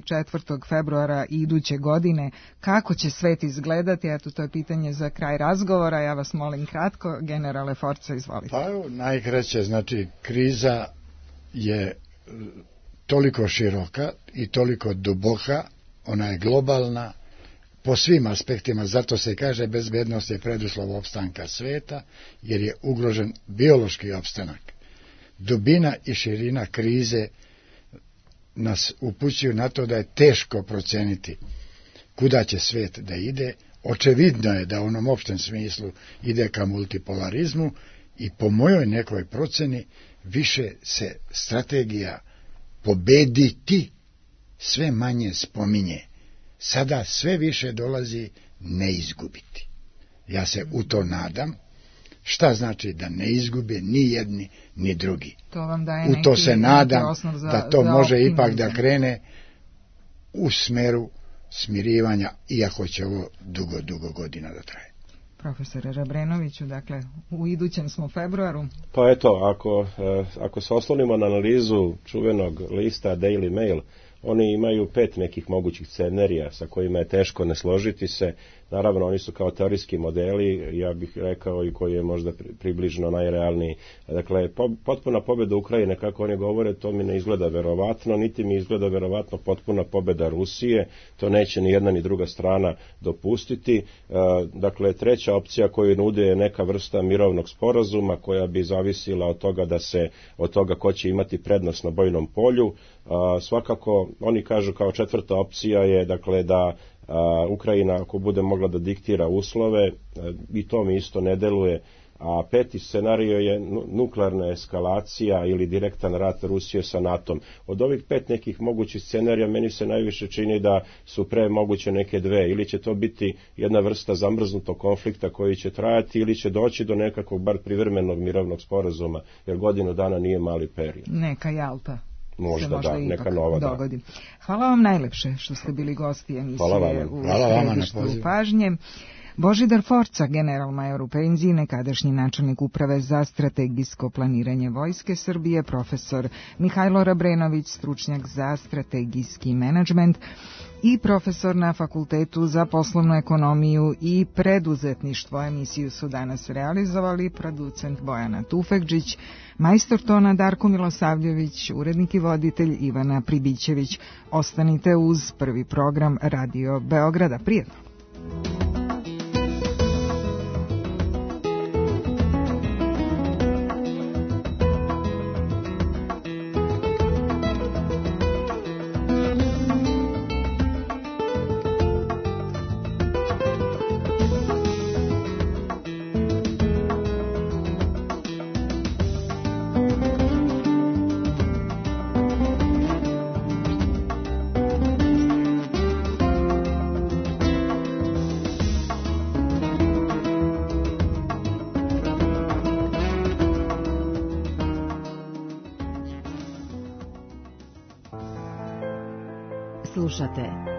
[SPEAKER 4] četvrtog februara iduće godine, kako će svet izgledati, eto to je pitanje za kraj razgovora, ja vas molim kratko, generale Forca, izvolite.
[SPEAKER 2] Pa evo, najkraće, znači kriza je toliko široka i toliko duboka, ona je globalna, po svim aspektima, zato se kaže bezbednost je preduslov opstanka sveta, jer je ugrožen biološki opstanak. Dubina i širina krize nas upućuju na to da je teško proceniti kuda će svet da ide. Očevidno je da u onom opštem smislu ide ka multipolarizmu i po mojoj nekoj proceni više se strategija pobediti sve manje spominje. Sada sve više dolazi ne izgubiti. Ja se u to nadam. Šta znači da ne izgube ni jedni ni drugi?
[SPEAKER 4] To vam daje
[SPEAKER 2] u to
[SPEAKER 4] neki,
[SPEAKER 2] se nadam
[SPEAKER 4] za,
[SPEAKER 2] da to može
[SPEAKER 4] optimizam.
[SPEAKER 2] Ipak da krene u smeru smirivanja, iako će ovo dugo, dugo godina da traje.
[SPEAKER 4] Profesore Rabrenoviću, dakle, u idućem smo februaru.
[SPEAKER 11] Pa eto, ako, ako se oslonimo na analizu čuvenog lista Daily Mail, oni imaju pet nekih mogućih scenarija sa kojima je teško ne složiti se. Naravno, oni su kao teorijski modeli, ja bih rekao, i koji je možda približno najrealniji. Dakle, po, potpuna pobjeda Ukrajine, kako oni govore, to mi ne izgleda verovatno, niti mi izgleda verovatno potpuna pobjeda Rusije, to neće ni jedna ni druga strana dopustiti. E, dakle, treća opcija koju nude je neka vrsta mirovnog sporazuma koja bi zavisila od toga da se, od toga ko će imati prednost na bojnom polju. A, svakako, oni kažu kao četvrta opcija je, dakle, da a, Ukrajina, ako bude mogla da diktira uslove, a, i to mi isto ne deluje, a peti scenario je nuklearna eskalacija ili direktan rat Rusije sa NATO-om. Od ovih pet nekih mogućih scenarija meni se najviše čini da su pre moguće neke dve, ili će to biti jedna vrsta zamrznutog konflikta koji će trajati, ili će doći do nekakvog bar privremenog mirovnog sporazuma, jer godinu dana nije mali period.
[SPEAKER 4] Neka Jalta.
[SPEAKER 11] Možda, možda da, neka nova
[SPEAKER 4] dogodi. Da. Hvala vam najlepše što ste bili gosti emisije
[SPEAKER 11] Hvala
[SPEAKER 4] u
[SPEAKER 11] Hvala
[SPEAKER 4] središtu pažnje. Božidar Forca, generalmajor u penziji, nekadašnji načelnik uprave za strategijsko planiranje Vojske Srbije, profesor Mihajlo Rabrenović, stručnjak za strategijski menadžment i profesor na Fakultetu za poslovnu ekonomiju i preduzetništvo. Emisiju su danas realizovali producent Bojana Tufekđić, majstor tona Darko Milosavljević, urednik i voditelj Ivana Pribićević. Ostanite uz prvi program Radio Beograda. Prijetno!
[SPEAKER 10] Slušate